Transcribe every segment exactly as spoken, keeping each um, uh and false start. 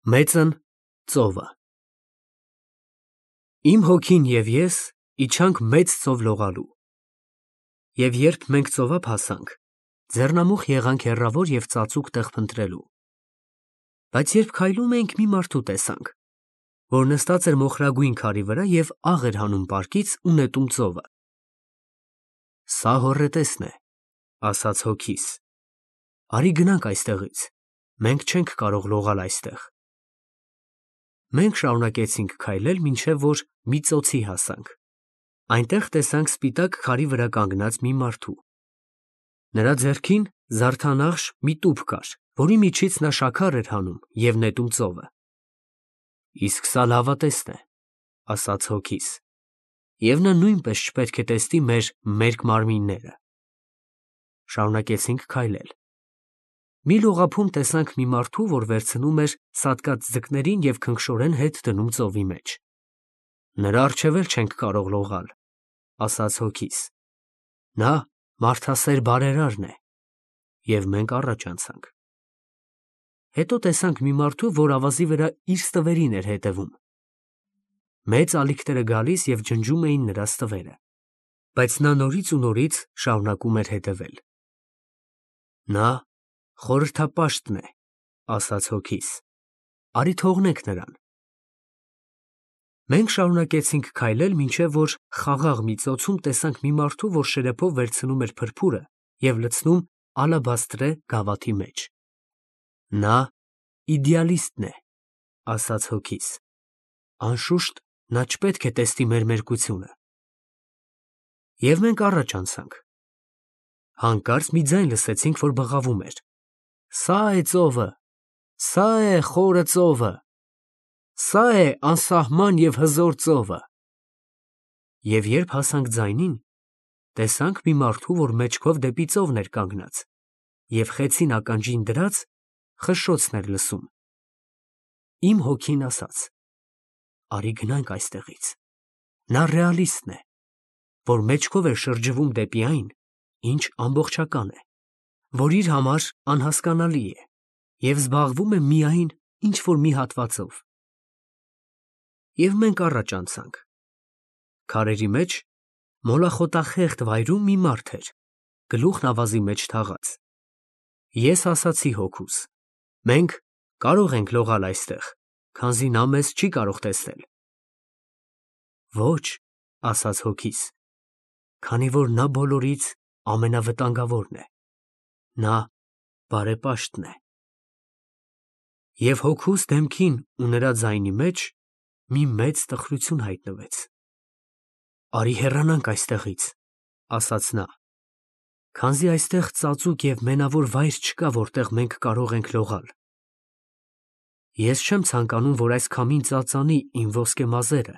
Մեծն ծովը Իմ հոգին և ես իջանք մեծ ծով լողալու, և երբ մենք ծովափ հասանք, ձեռնամուխ եղանք հեռավոր և ծածուկ տեղ փնտրելու, բայց երբ քայլում էինք, մի մարդու տեսանք, որ նստած էր մոխրագույն քարի վրա և աղ էր հանում պարկից ու նետում ծովը։ Սա հոռետեսն է, ասաց հոգիս, արի գնանք այստեղից, մենք չենք կարող լողալ այստեղ։ Մենք շարունակեցինք քայլել, մինչև որ մի ծոցի հասանք, այնտեղ տեսանք սպիտակ քարի վրա կանգնած մի մարդու, նրա ձեռքին զարդանախշ մի տուփ կար, որի միջից նա շաքար էր հանում և նետում ծովը։ Իսկ սա լավատեսն է, ասաց հոգիս, և նա նույնպես չպետք է տեսնի մեր մերկ մարմինները։ Շարունակեցինք քայլել։ Մի լողափում տեսանք մի մարդու, որ վերցնում էր սատկած ձկներին և քնքշորեն հետ դնում ծովի մեջ։ Նրա առջև էլ չենք կարող լողալ, ասաց հոգիս, նա մարդասեր բարերարն է, և մենք առաջ անցանք։ Հետո տեսանք մի մարդու, որ ավազի վրա իր ստվերին էր հետևում։ Մեծ ալիքները գալիս և ջնջում էին նրա ստվերը, բայց նա նորից ու նորից շարունակում էր հետևել։ Նա խորհրդապաշտն է, ասաց հոգիս, արի թողնենք նրան։ Մենք շարունակեցինք քայլել, մինչև որ խաղաղ մի ծոցում տեսանք մի մարդու, որ շրեփով վերցնում էր փրփուրը և լցնում ալաբաստրե գավաթի մեջ։ Նա իդեալիստն է, ասաց հոգիս, անշուշտ, նա չպետք է տեսնի մեր մերկությունը։ Եվ մենք առաջ անցանք։ Հանկարծ մի ձայն լսեցինք, որ բղավում էր. Սա է ծովը, սա է խորը ծովը, սա է անսահման և հզոր ծովը։ Եվ երբ հասանք ձայնին, տեսանք մի մարդու, որ մեջքով դեպի ծովն էր կանգնած և խեցին ականջին դրած խշշոցն էր լսում։ Իմ հոգին ասաց. արի գնանք այստեղից։ Նա ռեալիստն է, որ մեջքով էր շրջվում դեպի այն, ինչ ամբողջական է, որ իր համար անհասկանալի է և զբաղվում է միայն ինչ֊որ մի հատվածով։ Եվ մենք առաջ անցանք։ Քարերի մեջ մոլախոտախեղդ վայրում մի մարդ էր, գլուխն ավազի մեջ թաղած։ Ես ասացի հոգուս. մենք կարող ենք լողալ այստեղ, քանզի նա մեզ չի կարող տեսնել։ Ոչ, ասաց հոգիս, քանի որ նա բոլորից ամենավտանգավորն է, նա բարեպաշտն է։ Եվ հոգուս դեմքին ու նրա ձայնի մեջ մի մեծ տխրություն հայտնվեց։ Արի հեռանանք այստեղից, ասաց նա, քանզի այստեղ ծածուկ և մենավոր վայր չկա, որտեղ մենք կարող ենք լողալ։ Ես չեմ ցանկանում, որ այս քամին ծածանի իմ ոսկե մազերը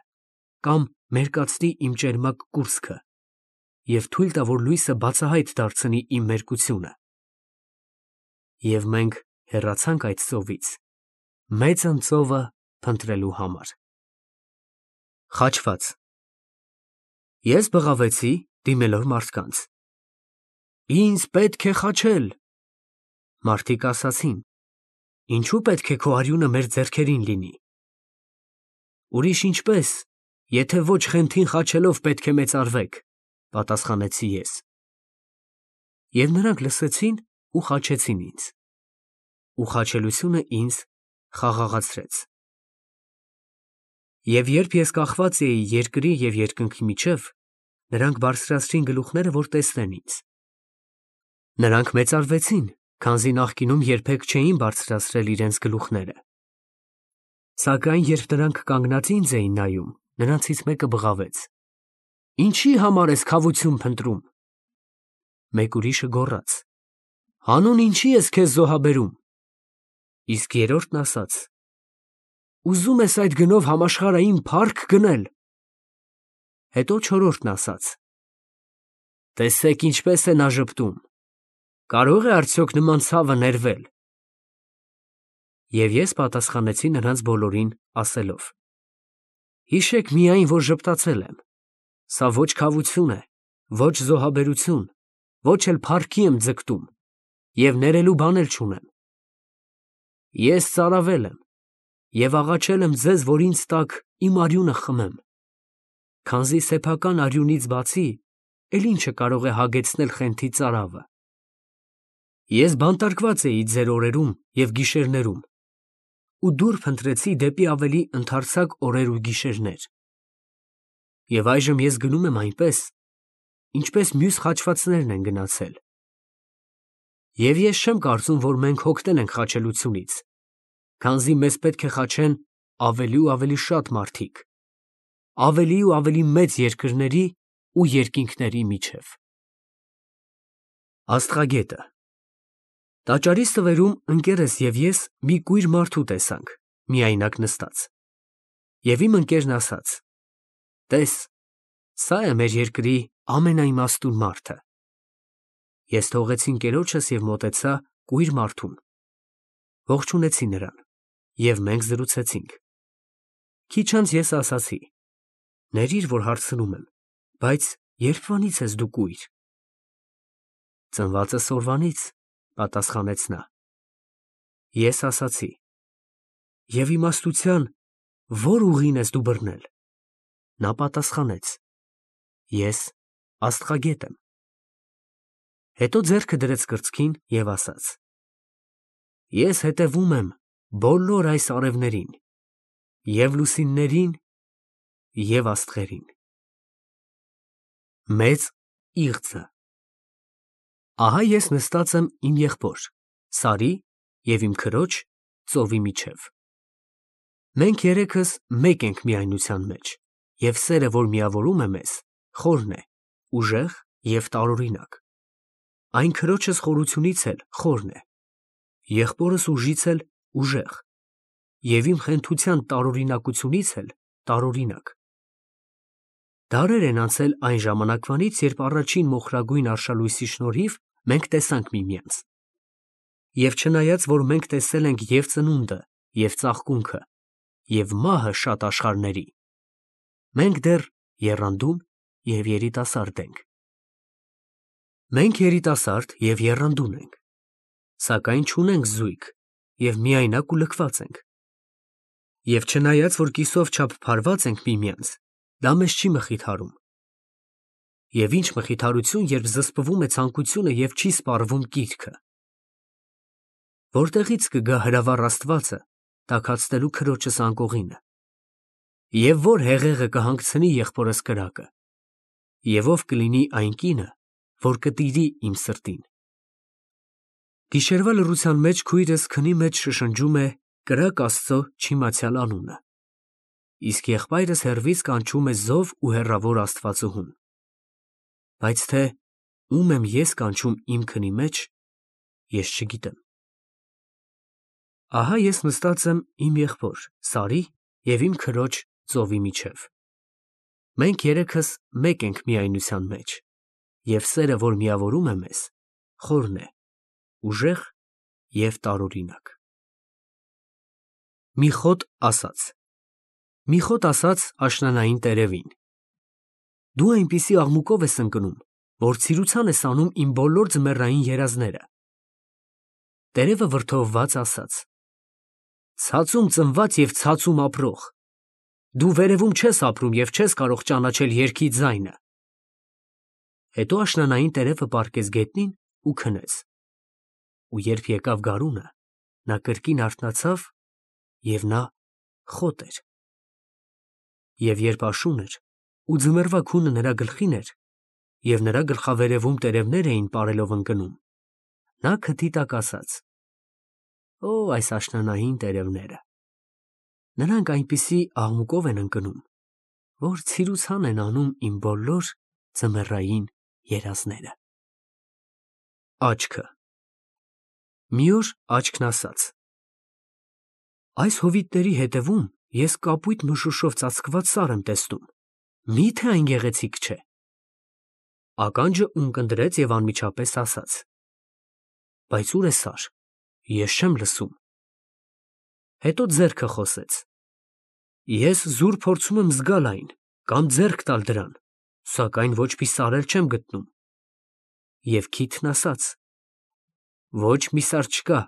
կամ մերկացնի իմ ճերմակ կուրծքը և թույլ տա, որ լույսը բացահայտ դարձնի իմ մերկությունը։ Եվ մենք հեռացանք այդ ծովից, մեծն ծովը փնտրելու համար։ Խաչված Ես բղավեցի, դիմելով մարդկանց. Ինձ պետք է խաչել։ Մարդիկ ասացին. ինչու պետք է քո արյունը մեր ձեռքերին լինի։ Ուրիշ ինչպես, եթե ոչ խենթին խաչելով պետք է մեծարվեք, պատասխանեցի ես։ Եվ նրանք լսեցին ու խաչեցին ինձ։ Ու խաչելությունը ինձ խաղաղացրեց։ Եվ երբ ես կախված էի երկրի և երկնքի միջև, նրանք բարձրացրին գլուխները, որ տեսնեն ինձ։ Նրանք մեծարվեցին, քանզի նախկինում երբեք չէին բարձրացրել իրենց գլուխները։ Սակայն երբ նրանք կանգնած ինձ էին նայում, նրանցից մեկը բղավեց. Ինչի համար ես քավություն փնտրում։ Մեկ ուրիշը գոռաց. հանուն ինչի ես քեզ զոհաբերում։ Իսկ երրորդն ասաց. ուզում ես այդ գնով համաշխարհային փա՞ռք գնել։ Հետո չորրորդն ասաց. տեսեք ինչպես է նա ժպտում, կարո՞ղ է արդյոք նման ցավը ներվել։ Եվ ես պատասխանեցի նրանց բոլորին, ասելով. հիշեք միայն, որ ժպտացել եմ, սա ոչ քավություն է, ոչ զոհաբերություն, ոչ էլ փառքի եմ ձգտում, և ներելու բան էլ չունեմ։ Ես ծարավել եմ, և աղաչել եմ ձեզ, որ ինձ տաք իմ արյունը խմեմ, քանզի սեփական արյունից բացի էլ ինչը կարող է հագեցնել խենթի ծարավը։ Ես բանտարկված էի ձեր օրերում և գիշերներում ու դուր փնտրեցի դեպի ավելի ընդարձակ օրեր ու գիշերներ։ Եվ այժմ ես գնում եմ այնպես, ինչպես մյուս խաչվածներն են գնացել։ Եվ ես չեմ կարծում, որ մենք հոգնել ենք խաչելությունից, քանզի մեզ պետք է խաչեն ավելի ու ավելի շատ մարդիկ, ավելի ու ավելի մեծ երկրների ու երկինքների միջև։ Աստղագետը Տաճարի ստվերում ընկերս և ես մի կույր մարդու տեսանք, միայնակ նստած։ Եվ իմ ընկերն ասաց. «Տես, սա է մեր երկրի ամենաիմաստուն մարդը»։ Ես թողեցի ընկերոջս և մոտեցա կույր մարդուն, ողջունեցի նրան, և մենք զրուցեցինք։ Քիչ անց ես ասացի. «Ներիր, որ հարցնում եմ, բայց ե՞րբվանից ես դու կույր»։ «Ծնվածս օրվանից», պատասխանեց նա։ Ես ասացի. «Եվ իմաստության ո՞ր ուղին ես դու բռնել»։ Նա պատասխանեց. «Ես աստղագետ եմ»։ Հետո ձեռքը դրեց կրծքին և ասաց. «Ես հետևում եմ բոլոր այս արևներին, և լուսիններին, և աստղերին»։ Մեծ իղձը Ահա ես նստած եմ իմ եղբոր Սարի և իմ քրոջ ծովի միջև։ Մենք երեքս մեկ ենք միայնության մեջ, և սերը, որ միավորում է մեզ, խորն է, ուժեղ և տարօրինակ։ Այն քրոջս խորությունից էլ խորն է, եղբորս ուժից էլ ուժեղ, և իմ խենթության տարօրինակությունից էլ տարօրինակ։ Դարեր են անցել այն ժամանակվանից, երբ առաջին մոխրագույն արշալույսի շնորհիվ մենք տեսանք միմյանց։ Եվ չնայած, որ մենք տեսել ենք և ծնունդը, և ծաղկունքը, և մահը շատ աշխարհների, մենք դեռ եռանդուն և երիտասարդ ենք։ Մենք երիտասարդ և եռանդուն ենք, սակայն չունենք զույգ և միայնակ ու լքված ենք։ Եվ չնայած, որ կիսով չափ փարված ենք միմյանց, դա մեզ չի մխիթարում։ Եվ ինչ մխիթարություն, երբ զսպվում է ցանկությունը և չի սպառվում կիրքը։ Որտեղի՞ց կգա հրավառ Աստվածը տաքացնելու քրոջս անկողինը։ Եվ ո՞ր հեղեղը կհանգցնի եղբորս կրակը։ Եվ ո՞վ կլինի այն կինը, որ կտիրի իմ սրտին։ Գիշերվա լռության մեջ քույրս քնի մեջ շշնջում է կրակ Աստծո չիմացյալ անունը, իսկ եղբայրս հեռվից կանչում է զով ու հեռավոր աստվածուհուն։ Բայց թե ում եմ ես կանչում իմ քնի մեջ, ես չգիտեմ։ Ահա ես նստած եմ իմ եղբոր Սարի և իմ քրոջ ծովի միջև։ Մենք երեքս մեկ ենք միայնության մեջ, և սերը, որ միավորում է մեզ, խորն է, ուժեղ և տարօրինակ։ Մի խոտ ասաց Մի խոտ ասաց աշնանային տերևին. «Դու այնպիսի աղմուկով ես ընկնում, որ ցիրուցան ես անում իմ բոլոր ձմեռային երազները»։ Տերևը վրդովված ասաց. «Ցածում ծնված և ցածում ապրող, դու վերևում չես ապրում և չես կարող ճանաչել երգի ձայնը»։ Հետո աշնանային տերևը պառկեց գետնին ու քնեց։ Ու երբ եկավ գարունը, նա կրկին արթնացավ, և նա խոտ էր։ Եվ երբ աշուն էր, ու ձմեռվա քունը նրա գլխին էր, և նրա գլխավերևում տերևներ էին պարելով ընկնում, նա քթի տակ ասաց. «Օ, այս աշնանային տերևները… նրանք այնպիսի աղմուկով են ընկնում, որ ցիրուցան են անում իմ բոլոր ձմեռային երազները»։ Աչքը Մի օր աչքն ասաց. «Այս հովիտների հետևում ես կապույտ մշուշով ծածկված սար եմ տեսնում, մի՞թե այն գեղեցիկ չէ»։ Ականջը ունկնդրեց և անմիջապես ասաց. «Բայց ո՞ւր է սար, ես չեմ լսում»։ Հետո ձեռքը խոսեց. «Ես զուր փորձում եմ զգալ այն կամ ձեռք տալ դրան, սակայն ոչ մի սար էլ չեմ գտնում»։ Եվ քիթն ասաց. «Ոչ մի սար չկա,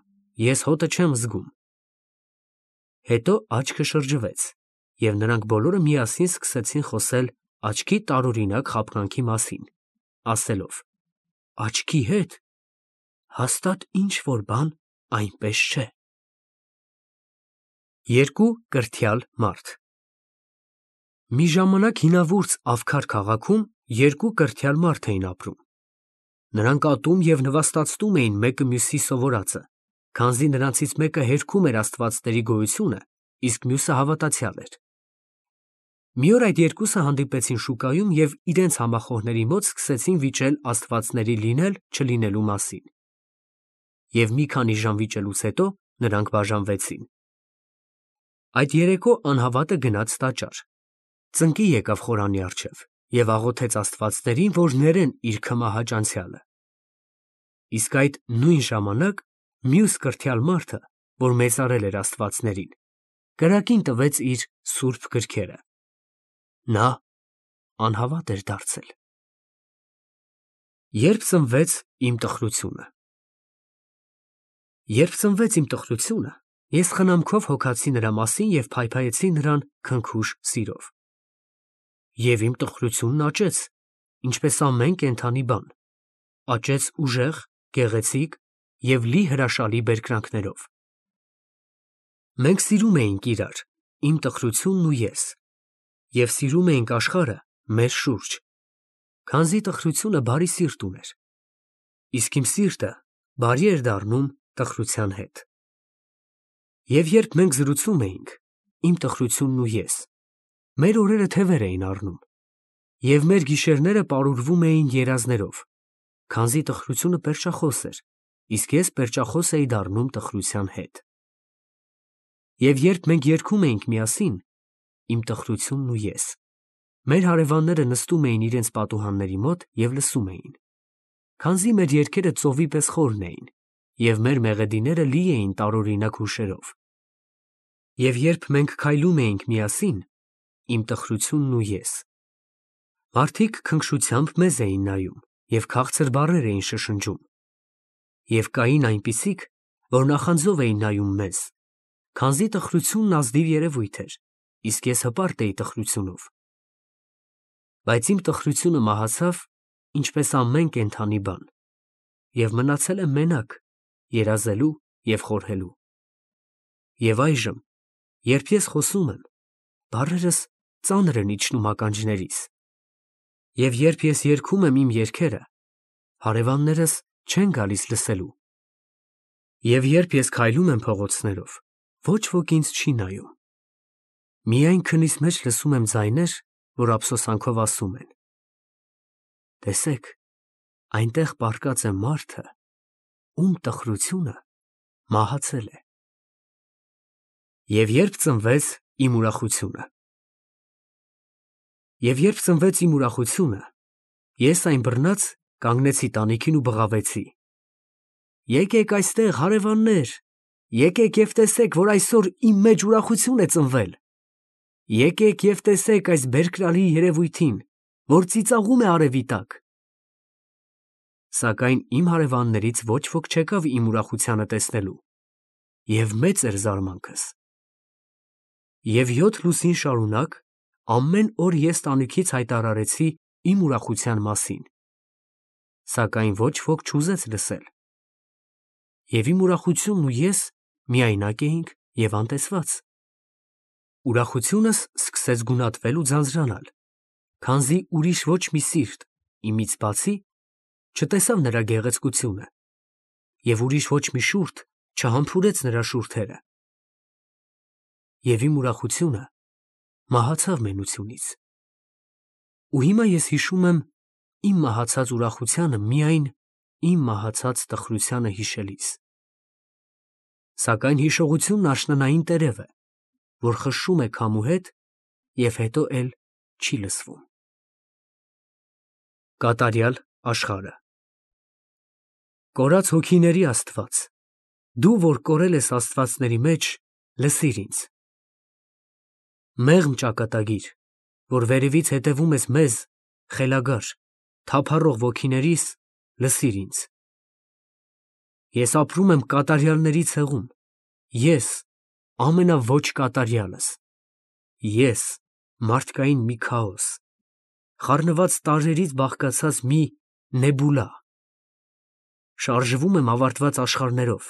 ես հոտը չեմ զգում»։ Հետո աչքը շրջվեց, և նրանք բոլորը միասին սկսեցին խոսել աչքի տարօրինակ խաբկանքի մասին, ասելով. «Աչքի հետ հաստատ ինչ-որ բան այնպես չէ»։ Երկու կրթյալ մարդ։ Մի ժամանակ հինավուրց Ավքար քաղաքում երկու կրթյալ մարդ էին ապրում։ Նրանք ատում և նվաստացնում էին մեկը մյուսի սովորածը, քանզի նրանցից մեկը հերքում էր աստվածների գոյությունը, իսկ մյուսը հավատացյալ էր։ Մի օր այդ երկուսը հանդիպեցին շուկայում և իրենց համախոհների մոտ սկսեցին վիճել աստվածների լինել֊չլինելու մասին։ Եվ մի քանի ժամ վիճելուց հետո նրանք բաժանվեցին։ Այդ երեկո անհավատը գնաց տաճար, ծնկի եկավ խորանի առջև և աղոթեց աստվածներին, որ ներեն իր քմահաճ անցյալը։ Իսկ այդ նույն ժամանակ մյուս կրթյալ մարդը, որ մեծարել էր աստվածներին, կրակին տվեց իր սուրբ գրքերը։ Նա անհավատ էր դարձել։ Երբ ծնվեց իմ տխրությունը։ Երբ ծնվեց իմ տխրությունը, ես խնամքով հոգացի նրա մասին և փայփայեցի նրան քնքուշ սիրով։ Եվ իմ տխրությունն աճեց, ինչպես ամեն կենդանի բան, աճեց ուժեղ, գեղեցիկ և լի հրաշալի բերկրանքներով։ Մենք սիրում էինք իրար, իմ տխրությունն ու ես, և սիրում էինք աշխարհը մեր շուրջ, քանզի տխրությունը բարի սիրտ ուներ, իսկ իմ սիրտը բարի էր դառնում տխրության հետ։ Եվ երբ մենք զրուցում էինք, իմ տխրությունն ու ես, մեր օրերը թևեր էին առնում, և մեր գիշերները պարուրվում էին երազներով, քանզի տխրությունը պերճախոս էր, իսկ ես պերճախոս էի դառնում տխրության հետ։ Եվ երբ մենք երգում էինք միասին, իմ տխրությունն ու ես, մեր հարևանները նստում էին իրենց պատուհանների մոտ և լսում էին, քանզի մեր երգերը ծովի պես խորն էին, և մեր մեղեդիները լի էին տարօրինակ հուշերով։ Եվ երբ մենք քայլում էինք միասին, իմ տխրությունն ու ես, մարդիկ քնքշությամբ մեզ էին նայում և քաղցր բառեր էին շշնջում։ Եվ կային այնպիսիք, որ նախանձով էին նայում մեզ, քանզի տխրությունն ազնիվ երևույթ էր, իսկ ես հպարտ էի տխրությունով։ Բայց իմ տխրությունը մահացավ, ինչպես ամեն կենդանի բան, և մնացել եմ մենակ, երազելու և խորհելու։ Եվ այժմ, երբ ես խոսում եմ, բառերս ծանր են իջնում ականջներիս, և երբ ես երգում եմ իմ երգերը, հարևաններս չեն գալիս լսելու, և երբ ես քայլում եմ փողոցներով, ոչ ոք ինձ չի նայում, միայն քնիս մեջ լսում եմ ձայներ, որ ափսոսանքով ասում են. «Տեսեք, այնտեղ պառկած է մարդը, ում տխրությունը մահացել է»։ Եվ երբ ծնվեց իմ ուրախությունը։ Եվ երբ ծնվեց իմ ուրախությունը, ես այն բռնած կանգնեցի տանիքին ու բղավեցի. «Եկեք այստեղ, հարևաններ, եկեք և տեսեք, որ այսօր իմ մեջ ուրախություն է ծնվել. եկեք և տեսեք այս բերկրալի երևույթին, որ ծիծաղում է արևի տակ»։ Սակայն իմ հարևաններից ոչ ոք չեկավ իմ ուրախությանը տեսնելու, և մեծ էր զարմանքս։ Եվ յոթ լուսին շարունակ ամեն օր ես տանիքից հայտարարեցի իմ ուրախության մասին, սակայն ոչ ոք չուզեց լսել։ Եվ իմ ուրախությունն ու ես միայնակ էինք և անտեսված։ Ուրախությունս սկսեց գունատվել ու ձանձրանալ, քանզի ուրիշ ոչ մի սիրտ, իմից բացի, չտեսավ նրա գեղեցկությունը, և ուրիշ ոչ մի շուրթ չհամբուրեց նրա շուրթերը։ Եվ իմ ուրախությունը մահացավ մենությունից։ Ու հիմա ես հիշում եմ իմ մահացած ուրախությանը միայն իմ մահացած տխրությանը հիշելիս։ Սակայն հիշողությունն աշնանային տերև է, որ խշշում է քամու հետ և հետո էլ չի լսվում։ Կատարյալ աշխարհը։ Կորած հոգիների Աստված, դու, որ կորել ես աստվածների մեջ, լսիր ինձ։ Մեղմ ճակատագիր, որ վերևից հետևում ես մեզ, խելագար, թափառող ոգիներիս, լսիր ինձ։ Ես ապրում եմ կատարյալների ցեղում, ես, ամենաոչ կատարյալս, ես, մարդկային մի քաոս, խառնված տարրերից բաղկացած մի նեբուլա, շարժվում եմ ավարտված աշխարհներով,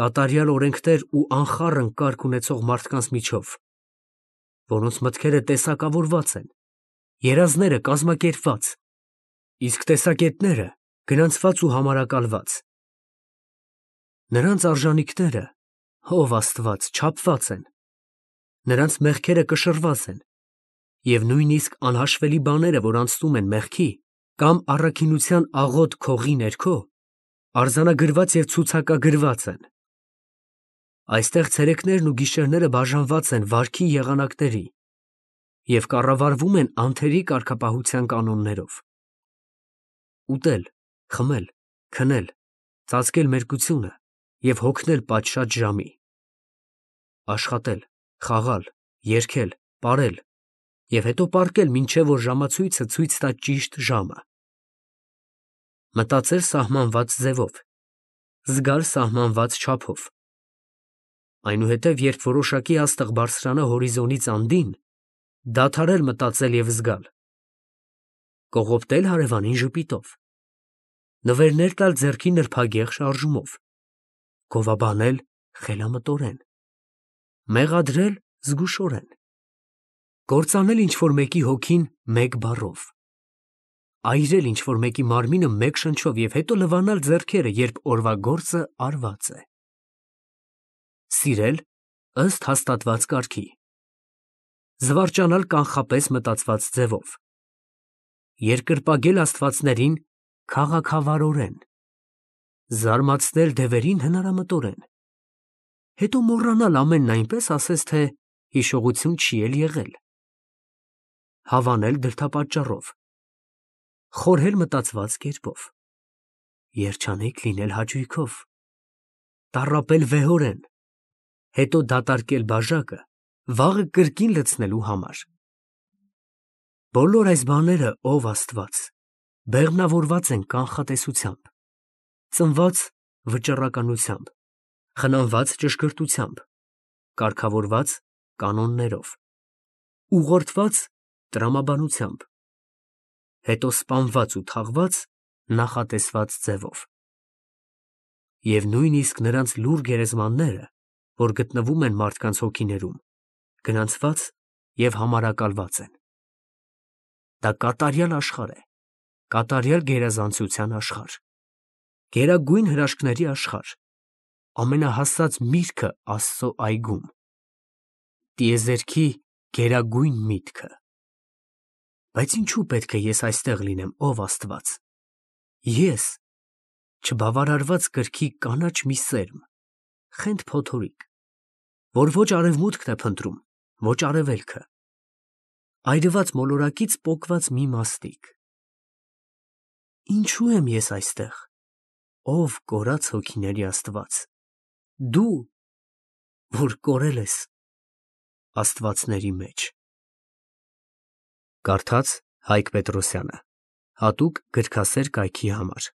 կատարյալ օրենքներ ու անխառն կարգ ունեցող մարդկանց միջով, որոնց մտքերը տեսակավորված են, երազները կազմակերպված, իսկ տեսակետները գրանցված ու համարակալված։ Նրանց արժանիքները, ով Աստված, չափված են, նրանց մեղքերը կշռված են, և նույնիսկ անհաշվելի բաները, որ անցնում են մեղքի կամ առաքինության աղոտ քողի ներքո, արձանագրված և ցուցակագրված են։ Այստեղ ցերեկներն ու գիշերները բաժանված են վարքի եղանակների և կառավարվում են անթերի կարգապահության կանոններով։ Ուտել, խմել, քնել, ծածկել մերկությունը և հոգնել պատշաճ ժամի, աշխատել, խաղալ, երգել, պարել և հետո պառկել, մինչև որ ժամացույցը ցույց տա ճիշտ ժամը, մտածել սահմանված ձևով, զգալ սահմանված չափով, այնուհետև, երբ որոշակի աստղ բարձրանա հորիզոնից անդին, դադարել մտածել և զգալ, կողոպտել հարևանին ժպիտով, նվերներ տալ ձեռքի նրբագեղ շարժումով, գովաբանել խելամտորեն, մեղադրել զգուշորեն, կործանել ինչ-որ մեկի հոգին մեկ բառով, այրել ինչ-որ մեկի մարմինը մեկ շնչով և հետո լվանալ ձեռքերը, երբ օրվա գործը արված է, սիրել ըստ հաստատված կարգի, զվարճանալ կանխապես մտածված ձևով, երկրպագել աստվածներին քաղաքավարորեն, զարմացնել դևերին հնարամտորեն, հետո մոռանալ ամենն այնպես, ասես թե հիշողություն չի էլ եղել, հավանել դրդապատճառով, խորհել մտածված կերպով, երջանիկ լինել հաճույքով, տառապել վեհորեն, հետո դատարկել բաժակը վաղը կրկին լցնելու համար։ Բոլոր այս բաները, ով Աստված, բեղմնավորված են կանխատեսությամբ, ծնված վճռականությամբ, խնամված ճշգրտությամբ, կարգավորված կանոններով, ուղղորդված տրամաբանությամբ, հետո սպանված ու թաղված նախատեսված ձևով։ Եվ նույնիսկ նրանց լուռ գերեզմանները, որ գտնվում են մարդկանց հոգիներում, գրանցված և համարակալված են։ Դա կատարյալ աշխարհ է, կատարյալ գերազանցության աշխարհ, գերագույն հրաշքների աշխարհ, ամենահաստած միրգը Աստծո այգում, տիեզերքի գերագույն միտքը։ Բայց ինչու պետք է ես այստեղ լինեմ, ով Աստված, ես, չբավարարված կրքի կանաչ մի սերմ, խենթ փոթորիկ, որ ոչ արևմուտքն է փնտրում, ոչ արևելքը, այրված մոլորակից պոկված մի մաստիկ։ Ինչու եմ ես այստեղ, ով կորած հոգիների Աստված, դու, որ կորել ես աստվածների մեջ։ Կարդաց Հայկ Պետրոսյանը, հատուկ գրքասեր կայքի համար։